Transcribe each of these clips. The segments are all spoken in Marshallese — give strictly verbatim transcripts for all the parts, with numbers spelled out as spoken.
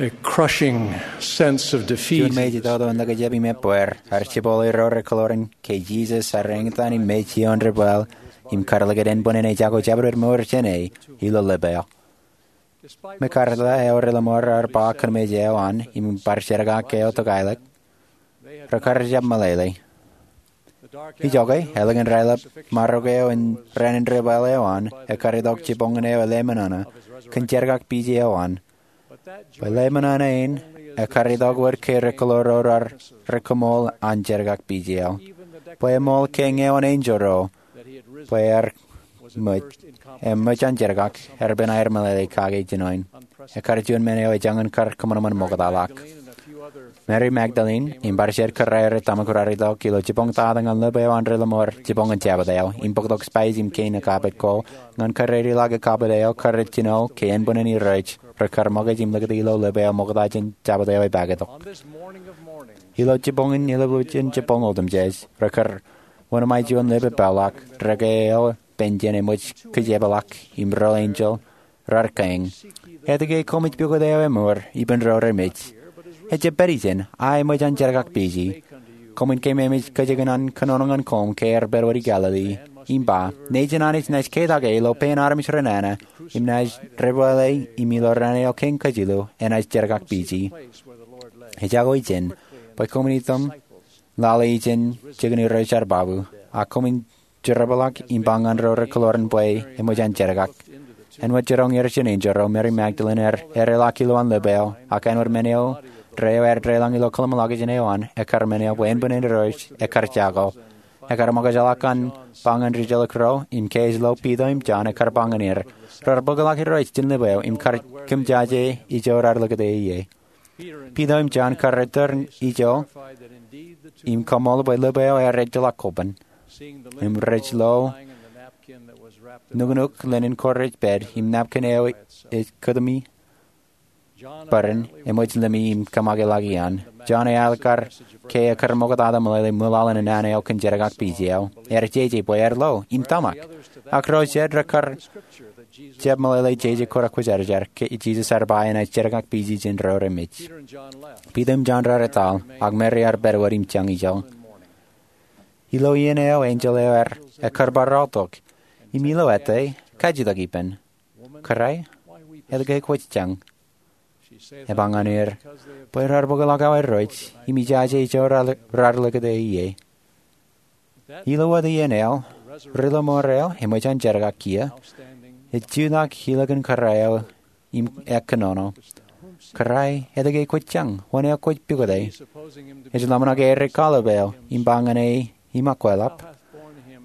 A crushing sense of defeat. Juon mej itoto in likjab im ebbweer ear jepooḷe ro rekōḷoor in ke Jisōs ear eñtaan im mej ioon debwāāl im kar likūt ānbwinnin ejako jabdewōt mour jāne ilo lepeo. Mekarta eo ri-lọmọọr ear ba kōnmej eo an im bar jerkak eo tokālik, rekar jab meḷeḷe. Ijoke, ālikin raelep marok eo in raan in debwāāl eo an, ekkar itok jiboñōn eo eḷeamanana kōn jerkakpije eo an. Bwe ḷeamanana in ekkar itok wōt ke rekōḷoor ro raar kōṃool an jerkakpije eo, bwe eṃool ke ñe eoon enjeḷ ro bwe ear ṃōj, im ṃōj an jerkak, ear bwe en aer meḷeḷe kake jinoin. Ekkar juon men eo ejañin kar kōṃanṃan ṃoktaḷọk. Mary Magdalene im bar jed kōrā eo rej tōmak raar itok ilo jiboñtata ñan lepeo an ri-lọmọọr jiboñōn Jabōt eo im bōktok spais im kein ekabwet ko ñan kōrā eo ri-lọmọọr ekabwet eo kar jino ke ānbwinnin Irooj rekar ṃōkaj im likūt ilo lepeo ṃokta jān Jabōt eo epaak itok. Ilo jiboñōn ilubujin jiboñ otemjej, rekar wōnṃae juon leppeḷọk, deke eo penjen eṃōj kijeepḷọk im ro enjeḷ raar kein, etke koṃij pukot eo emour ippān ro remej? Ejjab pād ijin, a eṃōj an jerkakpije. Koṃwin keememej kajjien an kōnono ñan koṃ ke ear pād wōt Galili, im ba, nejin Anij enaaj ketak e ilo pein armej renana, im enaaj debwāāle, im ilo raan eo kein kajilu enaaj jerkakpije. Ejako ijin, bwe koṃwin itok lale ijin jikin Irooj ear babu, a koṃwin jerbal ḷọk im ba ñan ro rekōḷoor in bwe eṃōj an jerkak. Āinwōt jiroñ er jān enjeḷ ro, Mary Magdalene ear ereḷọk ilowaan lepeo, ak āinwōt men eo deḷọñ ilo kōḷmānḷọkjeṇ eo an, ekkar men eo bwe ānbwinnin Irooj ekkar jako. Ekkar ṃōkajḷọk an ba ñan rijjelōk ro, im ke ej lo, Piter im Jon ekkar ba ñan er, raar bōkḷọk Irooj jān lepeo im kar kōmjaje ijo raar likūt e ie. Piter im Jon kar return ijo im koṃṃool bwe lepeo ear ejjeḷọk koban. Im rej lo nuknuk linen ko rej pād im napkin eo ej kōtumi bōran eṃōj limi im kōṃṃakḷọk iaan. Jon eaḷ kar ke ekkar ṃoktata meḷeḷe ṃwilaḷ in naan eo kōn jerkakpije eo, ear jeje bwe ear lo im tōmak. Ak ro jet rekar jab meḷeḷe jeje ko kwōjarjar ke Jisōs ear ba enaaj jerkakpije jān ro remej. Piter im Jon raar etal, ak Mary ear pād wōt im jañ ijo. Ilo iien eo enjeḷ eo ear ekkar bar aotok, im ilo ete, kajjitōk ippān, Kōrā, etke kwōj jañ? Eba ñan er, Bwe raar bōkḷọk awa Irooj, im ijaje ijo raar likūt e ie. Ilo wōt iien eo, ri-lọmọọr eo eṃōj an jerkak kiiō ej jutak ilikin kōrā eo im ekkōnono, Kōrā, etke kwōj jañ? Wōn eo kwōj pukot e? Ej ḷōmṇak aer kwaḷọk eo im ba ñan e im akwālap,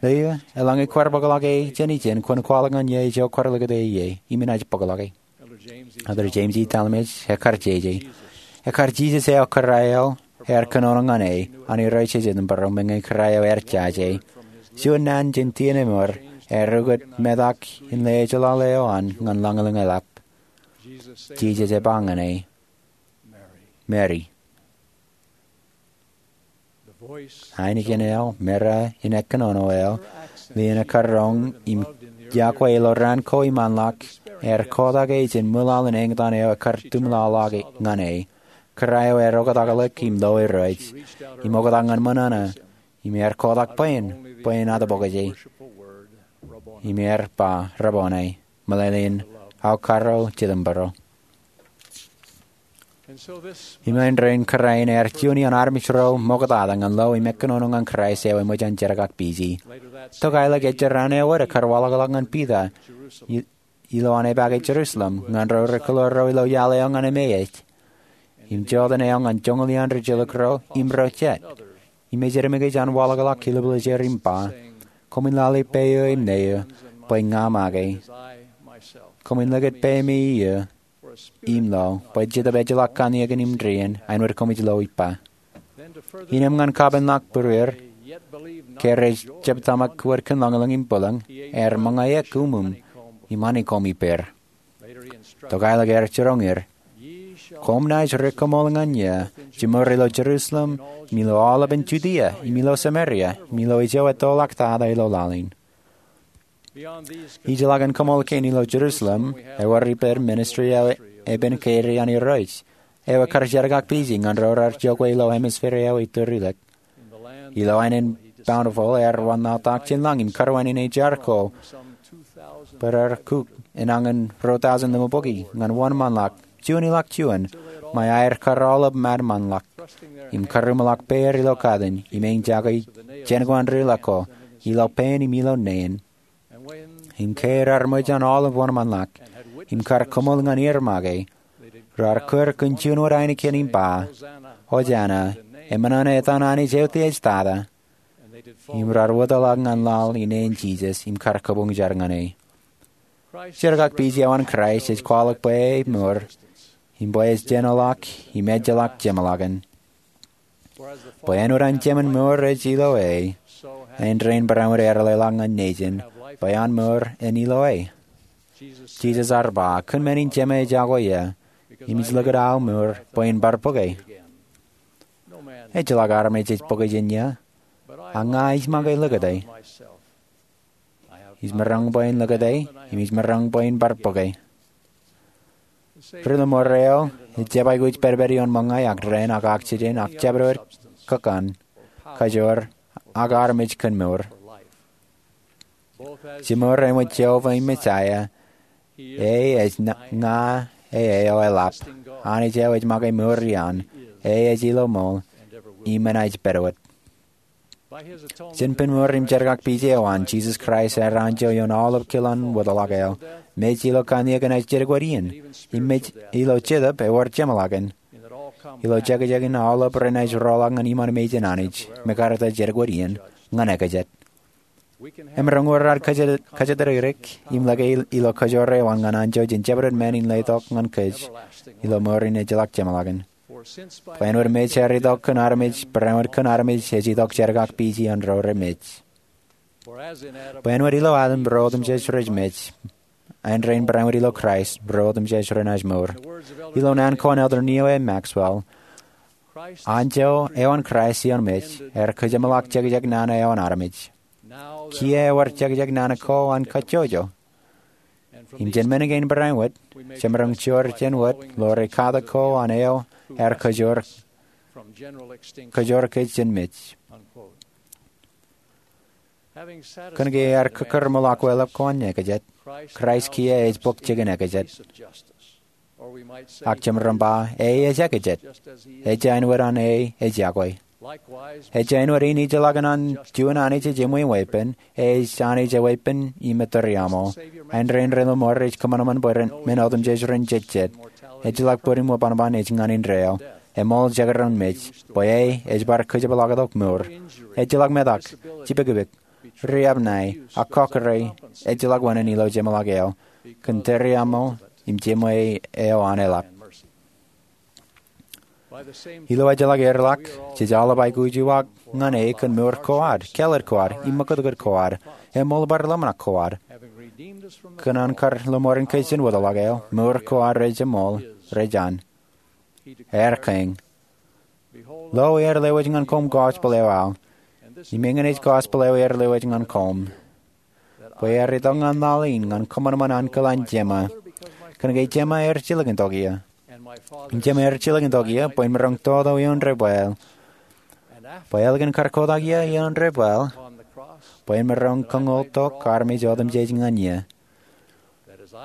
Leo, eḷaññe kwaar bōkḷọk e jān ijin, kwōn kwaḷọk ñan eō ijo kwaar likūt e ie, im enaaj bōkḷọk e. Elder James E. Talmage ekkar jeje, ekkar Jisōs eo kōrā eo ear kōnono ñan e an Irooj ej Edinburgh, meñe kōrā eo ear jaje, juon naan jān tienemier ear ukōt metak in lejeḷāḷe eo an ñan lañlōñ e ḷap. Jisōs ej ba ñan e, Mary. Ainikien eo, meram in ekkōnono eo, lien ekkar roñ im yokwe ilo raan ko iṃaanḷọk, ear kotak e jān ṃwilaḷ in eñtaan eo ekkar tumḷọḷọk ñan e. Kōrā eo ear oktakḷọk im lo Irooj, im oktak ñan ṃōṇōṇō, im ear kotak bwe en, bwe en atbokje. Im ear ba, Rabboni, meḷeḷein, Aokaro Jetōnbōro. Im āindein kōrā in ear juon iaan armej ro ṃoktata ñan lo im ekkōnono ñan Kraist eo eṃōj an jerkakpije. Tokālik ejjeraan eo wōt ekkar waḷọkḷọk ñan Piter i- ilowaan epaake Jerusalem ñan ro rekōḷoor ro ilo iaḷ eo ñan emej, im joteen eo ñan joñoul iaan rijjelōk ro im ro jet. Im ej edemikij an waḷọkḷọk kilōblōjāer im ba, Koṃwin lale peiū im neū, bwe ña make. Koṃwin likūt peiṃe iiō im lo, bwe Jetōb ejjeḷọk kanniōkin im dien, āinwōt koṃij lo ippa. Innām ñan kapenḷọk būrueir ke rej jab tōmak wōt kōn lañlōñ im bwilōñ, ear ṃōñā eok uṃwim im āne koṃ ippāer. Tokālik ear jiroñ er, Koṃ naaj ri-kōṃool ñan eō, jiṃor ilo Jerusalem, im ilo aolepān Judia, im ilo Samaria, im ilo ijo ettoḷọk tata ilo laḷ in. Ijellọkin kōṃool kein ilo Jerusalem, ewōr ippān ministry eo epen kein an Irooj. eo ekar jerkakpeje ñan ro raar jokwe ilo hemisphere eo itōrilōk. Ilo aenen Bountiful ear wanlaḷtak jān lañ im karwainenejar ko bwe rar kuk enañin ruo tọujin limabukwi ñan wōnṃaanḷọk juon ḷọk juon ṃae aer kar aolep ṃadṃōnḷọk im karūṃḷọk peier ilo katin im eñjake jān ko an ri ḷọk ko ilo pein im ilo neen. Im ke raar ṃōj an aolep wōnṃaanḷọk im kar koṃṃool ñan er make, raar kōr kōn juon wōt ainikien im ba, Ojana, eṃṃan an etan Anij Eutiej Tata. Im raar wōtlọk ñan laḷ ine in Jisōs im kar kabuñ jar ñan e. Jerkakpeje eo an Kraist ej kwaḷọk bwe e mour im bwe ej jenoḷọk im ejjeḷọk jeṃḷọkin. Bwe āinwōt an jemān mour ej ilo e, āindein barāinwōt ear leḷọk ñan nejin bwe an mour en ilo e. Jisōs ear ba, Kōn men in Jema ej akwe ia, im ij likūt aō mour bwe in bar bōke. Ejjeḷọk armej ej bōke jān ia, a ña ij make likūt e. Ij maroñ bwe in likūt e, im ij maroñ bwe in bar bōke. Ri-lọmọọr eo ej jab aikuj pedped ioon ṃōñā ak dān ak oxygen ak jabdewōt kōkkan, kajoor, ak armej kōn mour. Jimor eṃōj Jeova im Mesaia, e ej ña e eo eḷap, Anij eo ej make mour iaan, e ej ilo ṃool, im enaaj pād wōt. Jān pen mour im jerkakpeje eo an, Jisōs Kraist ear anjọ ioon aolep kilen wōtlọk eo. Mej ilo kanniōk enaaj jedik wōt iien, im mej ilo jetōb ewōr jeṃḷọkin, ilo jekjekin aolep renaaj roḷọk ñan iṃaan mejān Anij, mekaarta jedik wōt iien, ñan ekajet. Emaroñ wōr ad kōjatdikdik im lōke ilo kajoor eo an ñan anjọ jān jabdewōt men in letok ñan kōj ilo mour in ejjeḷọk jeṃḷọkin. Bwe āinwōt mej ear itok kōn armej, barāinwōt kōn armej ej itok jerkakpeje an ro remej. Bwe āinwōt ilo Adam ro otemjej rej mej, āindein barāinwōt ilo Kraist ro otemjej renaaj mour. Ilo naan ko an Elder Neal A. Maxwell, anjọ eo an Kraist ioon mej ear kōjeṃḷọk jekjek nana eo an armej. Kiiō ewōr jekjek nana ko an kajjojo. Im jān men kein barāinwōt, jemaroñ joor jān wōt ḷoore katak ko an eo ear kajoor kōj jān mej. Kōn ke ear kōkkūrṃōḷọk weḷap ko an ekajet, Kraist kiiō ej bōk jikin ekajet. Ak jemaroñ ba, e ej ekajet, ejja āinwōt an e ej akwe. Ejja āinwōt in ijellọkin an juon Anij ej eṃwiin weeppān, e ej Anij eweeppān im ettōriaṃo. Āindein ri-lọmọọr ej kōṃanṃan bwe men otemjej ren jejjet. Ejjeḷọk bōd im ṃōṃan ej ñan indeeo. Eṃool jekdọọn mej, bwe e ej bar kōjepḷaaktok mour. Ejjeḷọk metak, jipekpek, riab ṇae, ak kọkkure, ejjeḷọk wāween ilo jeṃḷọk eo, kōn ettōriaṃo im jeṃwe eo an eḷap. Ilo ejjeḷọk erḷọk, jej aolep aikuj uwaak ñan e kōn mour ko ad, kāālōt ko ad, im ṃōkūtkūt ko ad, eṃool bar ḷōmṇak ko ad. Kōn an kar lọmọọren kōj jān wōtlọk eo, mour ko ad rej eṃool, rej an. Ear kein, Lo, ear lewōj ñan koṃ gospel eo aō, im eñin ej gospel eo ear lewōj ñan koṃ, bwe ear itok ñan laḷ in ñan kōṃanṃan ankilaan Jema. Kōn ke Jema ear jilkintok ia. Im Jema ear jilkintok ia bwe in maroñ toto ioon debwāāl. Bwe ālikin kar kotak ia ioon debwāāl, bwe in maroñ kañoultok armej otemjej ñan ia.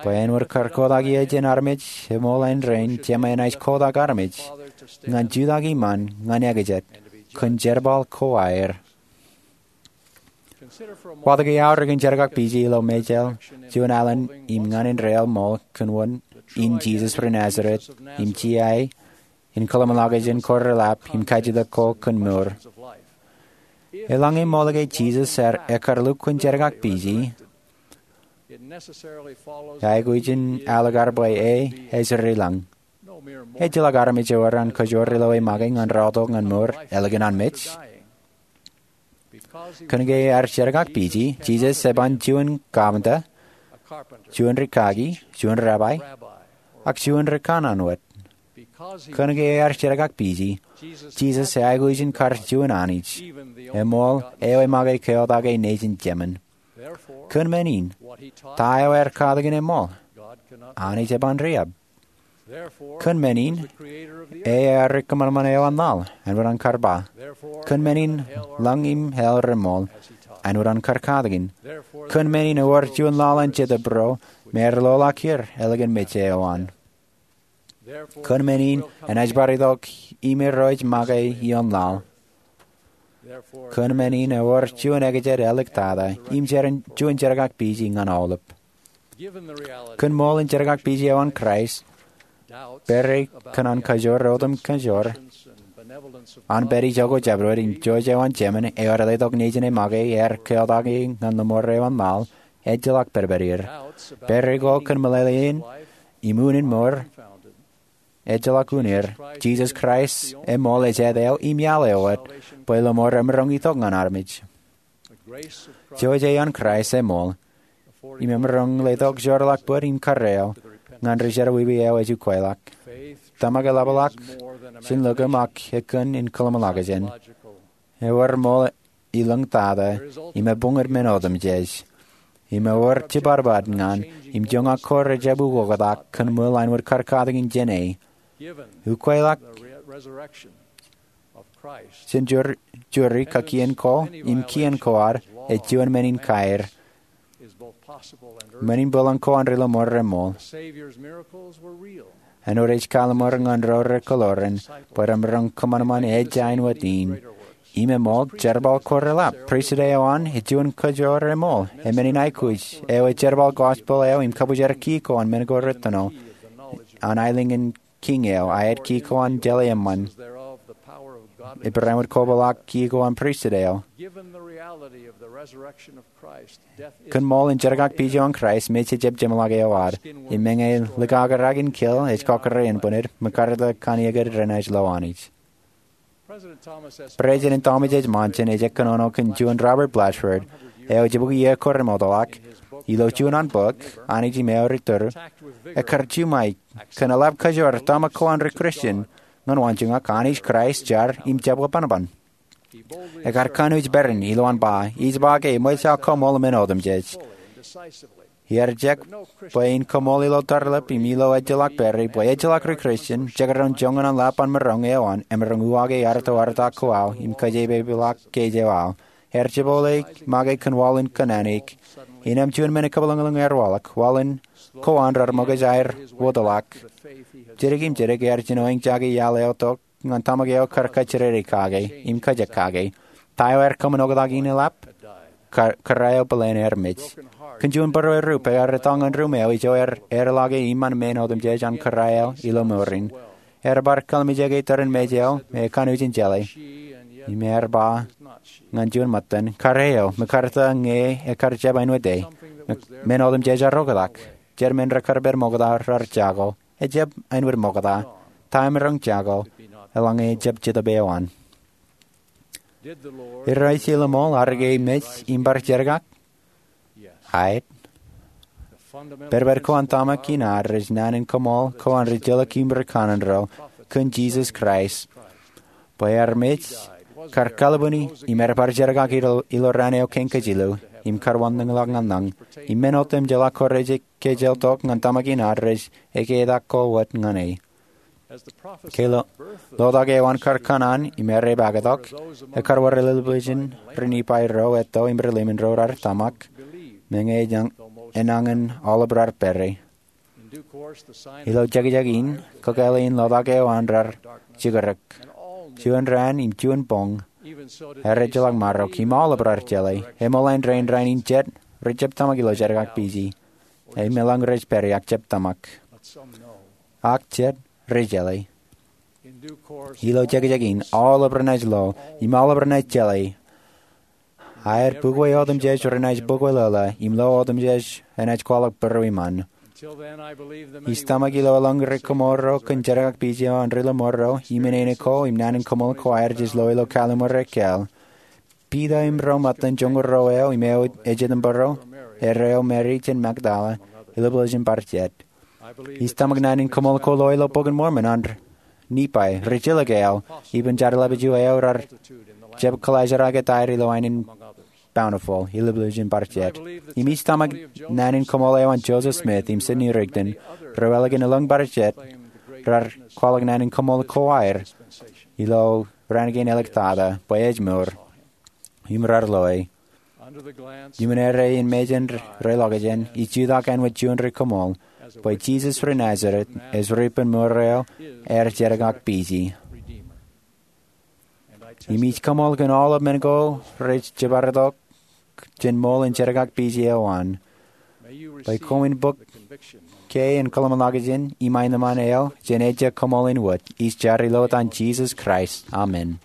Bwe āinwōt kar kotak ia jān armej, eṃool āindein Jema enaaj kotak armej ñan jutak iṃaan ñan ekajet kōn jerbal ko aer. Watōk iaorōk in jerkakpeje ilo Mejāl, juon alen im ñan indeeo ṃool kōn wōn in Jisōs ri Nazeret, im jea e in kōḷmānḷọkjeṇ ko reḷap im kajjitōk ko kōn mour. Eḷaññe ṃool ke Jisōs ear, ekar lukkuun jerkakpeje, aikuj in ālikkar bwe e ej ri lañ. Ejjeḷọk armej ewōr an kajoor ilo e make ñan rọọltok ñan mour ālikin an mej. Kōn ke ear jerkakpeje, Jisōs eban juon kapinta, juon rikaki, juon rabbi, ak juon rikanaan wōt. Kōn ke ear jerkakpeje, Jisōs eaikuj in kar juon Anij, eṃool eo emake keotak e nejin jemān. Kōn men in, ta eo ear katakin eṃool? Anij eban riab. Kōn men in, ear kōṃanṃan eo an laḷ, āinwōt an kar ba. Kōn men in, lañ im hell remool, āinwōt an kar katakin. Kōn men in ewōr juon laḷ an Jetōb ro me ear loḷọk er ālikin mej eo an. Kōn men in enaaj bar itok im ro ej make ioon laḷ. Kōn men in ewōr juon ekjed āliktata im juon jerkakpiji ñan aolep. Kōn ṃool in jerkakpiji eo an Kraist, pere kōn an kajoor otemjej an pād ijoko jabdewōt im jouj eo an Jemān eo ear letok nejin e make ear keotak ñan lọmọọr eo an laḷ, ejjeḷọk pedped er. Pere ko kōn meḷeḷein im unin mour, ejjeḷọk un er. Jisōs Kraist eṃool ejāte eo im iaḷ eo wōt bwe lọmọọr emaroñ itok ñan armej. Jouj eo an Kraist eṃool im emaroñ letok joorḷọk bōd im karreo ñan ri jerọwiwi eo ej ukweḷọk. Tōmak eḷapḷọk jān lōkōm ak ekōn in kōḷmānḷọkjeṇ. Ewōr ṃool ilōñtata im ebuñūd men otemjej. Im ewōr jipadpad ñan im joñak ko rejjab ukoktak kōn ṃool āinwōt kar katakin jāne. Ukweḷọk jān juri, kakien ko im kien ko ad ej juon men in kaer. Men in bōlen ko an ri lọmọọr reṃool. Āinwōt ej kalọmọọr ñan ro rekwōḷoran bwe remaroñ kōṃanṃan ej āinwōt in. Im eṃool jerbal ko reḷap. Pristut eo an ej juon kajoor eṃool. Emen in aikuj eo ej jerbal gospel eo im kabōjrak kiiō ko an men ko retōno an aelōñ in Kiiñ eo, aet kiiō ko an jeḷā eṃṃan. Ippān āinwōt kobaḷọk kiiō ko an pristut eo. Kōn ṃool in jerkakpij eo an Kraist, mej ejjab jeṃḷọk eo ad. Im meñe likakarakin kōl ej kọkkure inpāned, makaartata kōn iiō kōn renaaj lo Anij. President Thomas S. Monson ej kōnono kōn juon Robert Blatchford, eo ej jibukwi iiō ko remootḷọk. Ilo juon an bok, Anij im Eor Iturin, ekkar juṃae kōn eḷap kajoor tōmak ko an ri Kristian ñan waanjoñak Anij Kraist jar im jab webanban. Ekkar kanooj peran ilowaan ba, ij ba ke eṃōj aō kaṃool men otemjej. Iar jab bwe in kaṃool ilo tarlip im ilo ejjeḷọk pere, bwe ejjeḷọk ri Kristian, jekdọọn joñan an lap an maroñ eo an, emaroñ uwaake arto arta ko aō, im kōjepapeḷọk kōj eo aō. Ear jepọle make kōn waḷọk kōnnaan eik. Innām juon men ekōpeḷeḷein ear waḷọk, waḷọk ko an rar ṃōkaj aer wōtlọk. Jidik im jidik ear jino eñjake iaḷ eo tok ñan tōmak eo kar kajjidede kake, im kajjik kake. Ta eo ear kōṃṃan oktak in eḷap? Kōrā eo bōlen ear mej. Kōn juon būruerū peiar etto ñan ruṃ eo ijo ear, ear lọke iṃaan men otemjej an kōrā eo ilo mour in. Ear bar kallimjeke tōre in mej eo me ekanooj in jeḷā. Im ear ba ñan juon ṃōttan, kōrā eo, makaartata ñe ekar jab āinwōt e. Men otemjej ear oktak. Jet men rekar pād ṃokta rar jako. Ejjab āinwōt ṃokta. Ta emaroñ jako, eḷaññe ejjab Jetōb eo an. Irooj ilo ṃool ad ke mej im bar jerkak? Aet. Pedped ko an tōmak in ad rej naan in kaṃool ko an rijjelōk im rikanaan ro kōn Jisōs Kraist, bwe ear mej, kar kalbwini, im ear bar jerkak ilo, ilo raan eo kein kajilu, im kar wanlōñḷọk ñan lañ, im men otemjeḷọk ko rej kōjjeḷtok ñan tōmak in ad rej eketak ko wōt ñan e. Ke lo, lotak eo an kar kōṇaan im ear epaaktok, ekkar wōr ilelbwijin ri Nifai ro etto im ri limon ro rar tōmak, meñe enañin aolep rar pere. Ilo jekjek in, kakāāle in lotak eo an rar jikrōk. Juon raan im juon boñ, ear ejjeḷọk marok, im aolep rar jeḷā. Eṃool an rein rainin jet, rej jab tōmak ilo jerkakpiji. Im eḷaññe rej pād, ak jab tōmak. Ak jet, rej jeḷā. Ilo jekjek in, aolep renaaj lo, im aolep renaaj jeḷā. Aer bukwe otemjej renaaj bukwe lōḷā, im lo otemjej enaaj kwaḷọk būrueṃṃan. Ij tōmak ilo eḷaññe ri kōmool ro kōn jerkakpij eo an ri lọmọọr ro, im inene ko, im naan in kaṃool ko aer jej lo ilo kallim̧ur ekkāāl. Piter im ro ṃōttan joñoul ruo eo im eo ej itemperro, erreo Meri jān Magdala, ilebwilōjin bar jet. Ij tōmak naan in kaṃool ko lo ilo Bok in Mormon an Nifai, ri jilkinḷọk aō, ippān jar ḷapḷọk eo rar jab kōḷaajrak etaer ilo aenōṃṃan Bountiful, ilebwilōjin bar jet. Im ij tōmak naan in kaṃool eo an Joseph Smith im Sidney Rigdon, ro ālikin elōñ bar jet, raar kwaḷọk naan in koṃṃool ko aer ilo raan kein āliktata bwe ej mour im raar loe. Iuṃwin errein mejān reḷọkjeṇ, ij jutak āinwōt juon ri koṃṃool bwe Jisōs ri Nazeret ej ripenmour eo, ear jenōkakpije. Im ij koṃṃool kōn aolep men ko rej jeparitok jān ṃool in jenōkakpije eo an, bwe koṃwin bōk ke in kōḷmānḷọkjeṇ im aenōṃṃan eo jān ejja koṃṃool in wōt. Ij jar ilo etan Jisōs Kraist, amen.